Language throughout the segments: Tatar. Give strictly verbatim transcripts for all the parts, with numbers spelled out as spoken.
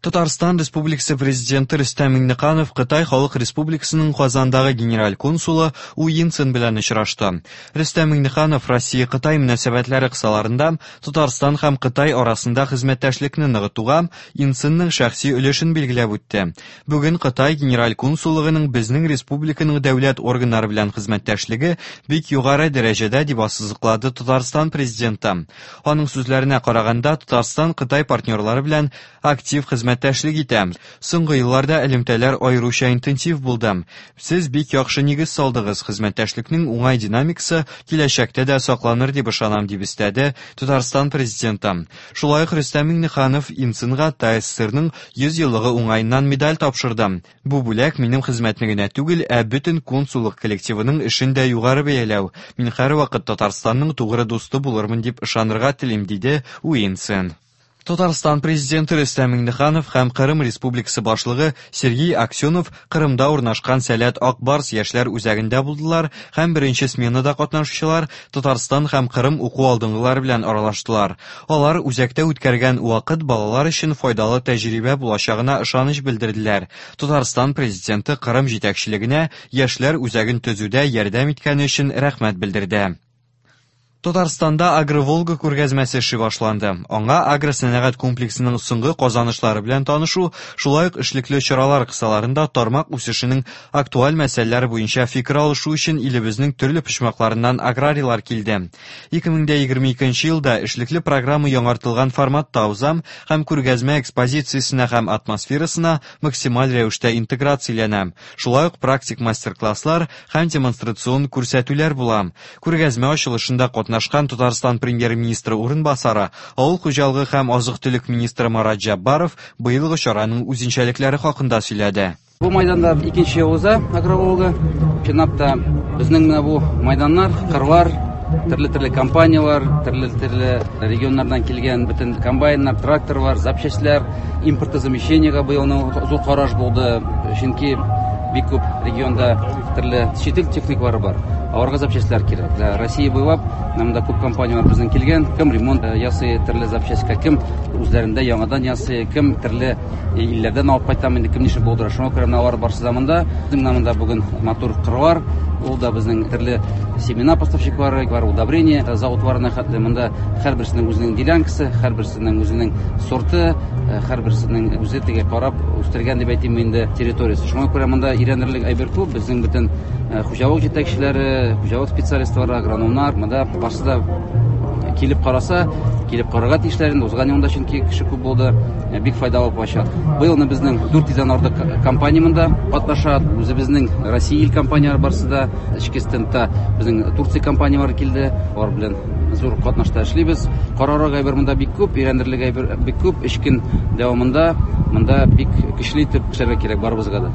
Татарстан Республикасы Президенты Рөстәм Миңнеханов Кытай Халык Республикасының Казандагы генераль консулы У Йинцин белән очрашты. Рөстәм Миңнеханов Россия-Кытай мөнәсәбәтләре кысаларында Татарстан һәм Кытай арасында хезмәттәшлекне ныгытуга Йинцинның шәхси өлешен билгеләп үтте. Бүген Кытай генераль консуллыгының безнең республиканың дәүләт органнары белән хезмәттәшлеге бик югары дәрәҗәдә, дип ассызыклады Татарстан Президенты. Аның сүзләренә караганда, Татарстан Кытай партнерлары белән актив хезмәттәшлек хезмәттәшлек итә. Соңгы елларда элемтәләр аеруча интенсив булды. Сез бик яхшы нигез салдыгыз. Хезмәттәшлекнең уңай динамикасы киләчәктә дә сакланыр дип ышанам, дип өстәде Татарстан Президенты. Шулай ук Рөстәм Миңнеханов Инцинга ТАССРның йөз еллыгы уңаеннан медаль тапшырды. Бу бүләк минем хезмәтне генә түгел, ә бөтен консуллык коллективының эшен дә югары бәяләү. Мин һәрвакыт Татарстанның тугры дусты булырмын дип ышанырга телим, диде Уинцин. Татарстан Президенты Рөстәм Миңнеханов һәм Кырым Республикасы башлыгы Сергей Аксенов Кырымда урнашкан Сәләт Ак Барс яшьләр үзәгендә булдылар һәм беренче сменада катнашучылар Татарстан һәм Кырым уку алдынгылары белән аралаштылар. Алар үзәктә үткәргән вакыт балалар өчен файдалы тәҗрибә булачагына ышаныч белдерделәр. Татарстан Президенты Кырым җитәкчелегенә яшьләр үзәген төзүдә ярдәм иткәне өчен рәхмәт белдерде. Татарстанда Агроволга күргәзмәсе эше башланды. Аңа агросәнәгать комплексының соңгы казанышлары белән танышу, шулай ук эшлекле чаралар кысаларында тармак үсешенең актуаль мәсьәләләре буенча фикер алышу өчен илебезнең төрле почмакларыннан аграрийлар килде. ике мең егерме икенче елда эшлекле программа яңартылган форматта уза һәм күргәзмә экспозициясенә һәм атмосферасына максималь рәвештә интеграцияләнә. Шулай ук практик мастер-класслар һәм демонстрацион күрсәтүләр була. Күргәзмә ачылышында катнашкан Татарстан премьер-министры урынбасары, авыл хуҗалыгы һәм азык-төлек министры Марат Җаббаров быелгы чараның үзенчәлекләре хакында сөйләде. Бу майданда икенче ел уза Агроволга. Чынлап та безнең менә бу майданнар, кырлар, төрле-төрле компаниялар, төрле-төрле регионнардан килгән бөтен комбайннар, тракторлар, запчастьлар, импортозамещениега быелның зур караш булды, чөнки бик күп регионда төрле чит ил техникалары бар. Аларга запчастьлар кирәк. Да, Россия буйлап монда күп компаниялар безнең килгән, кем ремонт ясый төрле запчастька, кем үзләрендә яңадан ясый, кем төрле илләрдән алып кайтам инде, кем ничек булдыра. Шуңа күрә менә алар барысы да монда. Безнең менә монда бүген матур кырлар, ул да безнең төрле семена поставщиклары бар, удобрение заводларына хәтле монда һәрберсенең үзенең делянкасы, һәрберсенең үзенең сорты, һәрберсенең үзе теге карап үстергән дип әйтим инде территориясе. Шуңа күрә монда өйрәнерлек әйбер күп. Безнең бөтен хуҗалык җитәкчеләре, хуҗалык специалистлары, агрономнар монда барысы да килеп караса, килеп карарга тиешләр инде. Узган елда чөнки кеше күп булды, бик файдалы булачак. Быелны безнең дүрт йөздән артык компания монда катнаша. Үзебезнең Россия ил компанияләре барысы да, эчке стендта безнең Турция компанияләре килде. Алар белән зур катнашта эшлибез. Карарга әйбер монда бик күп, өйрәнерлек әйбер бик күп. Өч көн дәвамында монда бик көчле итеп эшләргә кирәк барыбызга да.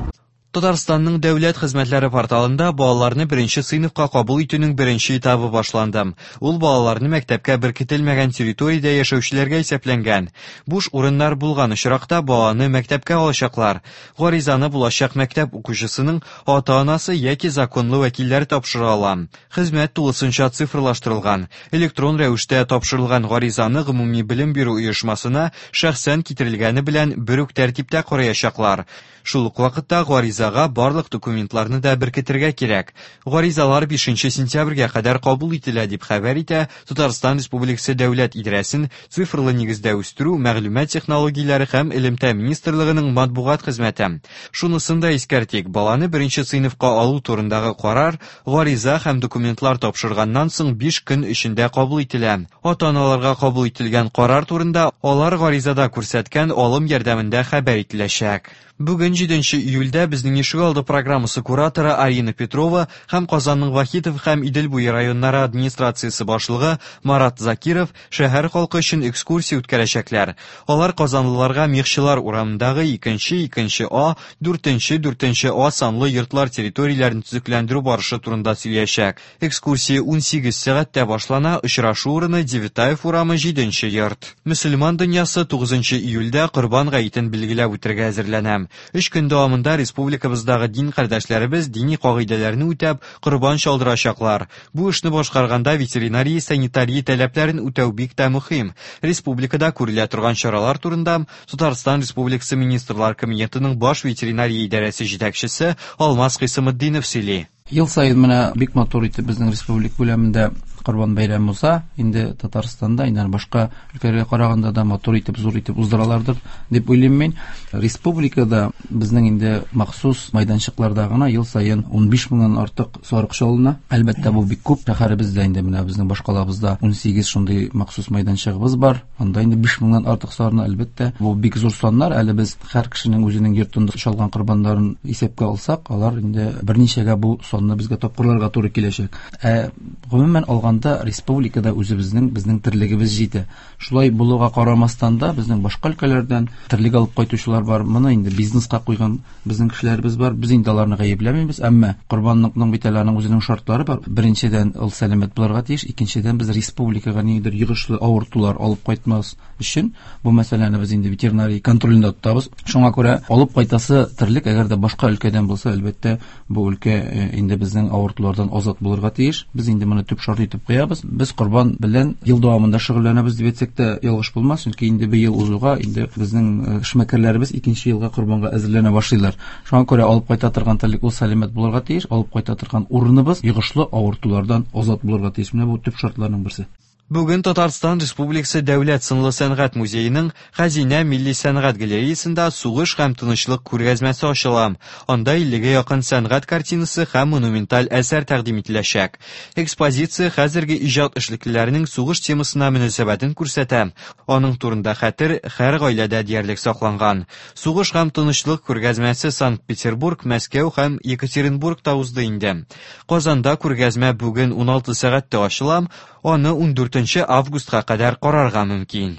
Татарстанның дәүләт хезмәтләре порталында балаларны беренче сыйныфка кабул итүнең беренче этабы башланды. Ул балаларны мәктәпкә беркетелмәгән территориядә яшәүчеләргә исәпләнгән. Буш урыннар булган очракта баланы мәктәпкә алачаклар. Гаризаны булачак мәктәп укучысының ата-анасы яки законлы вәкилләре тапшыра ала. Хезмәт тулысынча цифрлаштырылган. Электрон рәвештә тапшырылган гаризаны гомуми белем бирү оешмасына шәхсән китерелгәне белән бер үк тәртиптә караячаклар. Шул ук вакытта гаризага барлык документларны да беркетергә кирәк. Гаризалар бишенче сентябрьгә кадәр кабул ителә дип хәбәр итә Татарстан Республикасы Дәүләт идарәсен цифрлы нигездә үстерү, мәгълүмат технологияләре һәм элемтә министрлыгының матбугат хезмәте. Шунысын да искәртик, баланы беренче сыйныфка алу турындагы карар гариза һәм документлар тапшырганнан соң биш көн эчендә кабул ителә. Ата-аналарга кабул ителгән карар турында алар гаризада күрсәткән алым ярдәмендә хәбәр ителәчәк. Бүген җиденче июльдә безнең ишегалды программасы кураторы Арина Петрова һәм Казанның Вахитов һәм Идел буе районнары администрациясе башлыгы Марат Закиров шәһәр халкы өчен экскурсия үткәрәчәкләр. Алар казанлыларга Мехчылар урамындагы икенче, икенче А, дүртенче, дүртенче А санлы йортлар территорияләрен төзекләндерү барышы турында сөйләячәк. Экскурсия унсигез сәгатьтә башлана, очрашу урыны Девятаев урамы җиденче йорт. Мөселман дөньясы тугызынчы июльдә Корбан гаетен билгеләп үтәргә әзерләнә. Өч көн дәвамында республиканың Республикабыздагы дин кардәшләребез дини кагыйдәләрне үтәп, корбан чалдырачаклар. Бу эшне башкарганда ветеринария, санитария таләпләрен үтәү бик тә мөһим. Республикада күрелә торган чаралар турында Татарстан Республикасы Министрлар Кабинетының баш ветеринария идарәсе җитәкчесе Алмаз Хисаметдинов сөйли. Ел саен менә бик матур итеп безнең республика күләмендә Корбан бәйрәме уза. Инде Татарстанда, инде башка өлкәләргә караганда да матур итеп, зур итеп уздыралардыр дип уйлыйм мин. Республикада безнең инде махсус майданчыкларда гына ел саен ун биш меңнән артык сарык чалына. Әлбәттә, бу бик күп. Шәһәребездә инде менә безнең башкалабызда ун сигез шундый махсус майданчыгыбыз бар. Анда инде биш меңнән артык сарыны, әлбәттә, бу бик зур саннар. Әле без һәр кешенең үзенең йортында чалган корбаннарын исәпкә алсак, алар инде берничәгә бу санны безгә тапкырларга туры киләчәк. Ә гомумән алганда республикада үзебезнең безнең терлегебез җитә. Шулай булуга карамастан да безнең башка өлкәләрдән терлек алып кайтучылар бар. Моны инде бизнеска куйган безнең кешеләребез бар. Без инде аларны гаепләмибез, әмма корбанлыкның бит әле аның үзенең шартлары бар. Беренчедән, ул сәламәт булырга тиеш, икенчедән, без республикага ниндидер йогышлы авыртулар алып кайтмас өчен бу мәсьәләне без инде ветеринария контролендә тотабыз. Шуңа күрә алып кайтасы терлек әгәр дә башка өлкәдән булса, әлбәттә, бу өлкә инде безнең авыртулардан азат булырга тиеш. Без инде моны төп шарт итеп куябыз. Без корбан белән ел дәвамында шөгыльләнәбез дип әйтсәк тә ялгыш булмас, чөнки инде быел узуга инде безнең эшмәкәрләребез икенче елга корбанга әзерләнә башлыйлар. Шуңа күрә алып кайта торган терлек ул сәламәт булырга тиеш, алып кайта торган урыныбыз йогышлы авыртулардан азат булырга тиеш. Менә бу төп шартларның берсе. Бүген Татарстан Республикасы Дәүләт сынлы сәнгать музееның Хәзинә милли сәнгать галереясында сугыш һәм тынычлык күргәзмәсе ачыла. Анда иллегә якын сәнгать картинасы һәм монументаль әсәр тәкъдим ителәчәк. Экспозиция хәзерге иҗат эшлеклеләренең сугыш темасына мөнәсәбәтен күрсәтә. Аның турында хәтер һәр гаиләдә диярлек сакланган. Сугыш һәм тынычлык күргәзмәсе Санкт-Петербург, Мәскәү һәм Екатеринбургта узды инде. Казанда күргәзмә бүген ун алты сәгатьтә ачыла. Аны ун дүртенче августка кадәр карарга мөмкин.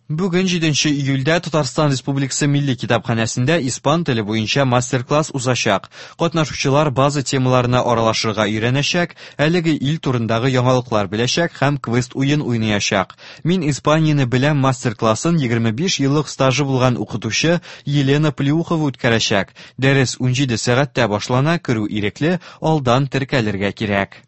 Бүген җиденче июльдә Татарстан Республикасы Милли китапханәсендә испан теле буенча мастер-класс узачак. Катнашучылар база темаларына аралашырга өйрәнәчәк, әлеге ил турындагы яңалыклар беләчәк һәм квест уен уйнаячак. Мин Испанияне беләм мастер-классын егерме биш еллык стажы булган укытучы Елена Плюхова үткәрәчәк. Дәрес ун җиде сәгатьтә башлана, керү ирекле, алдан теркәлергә кирәк.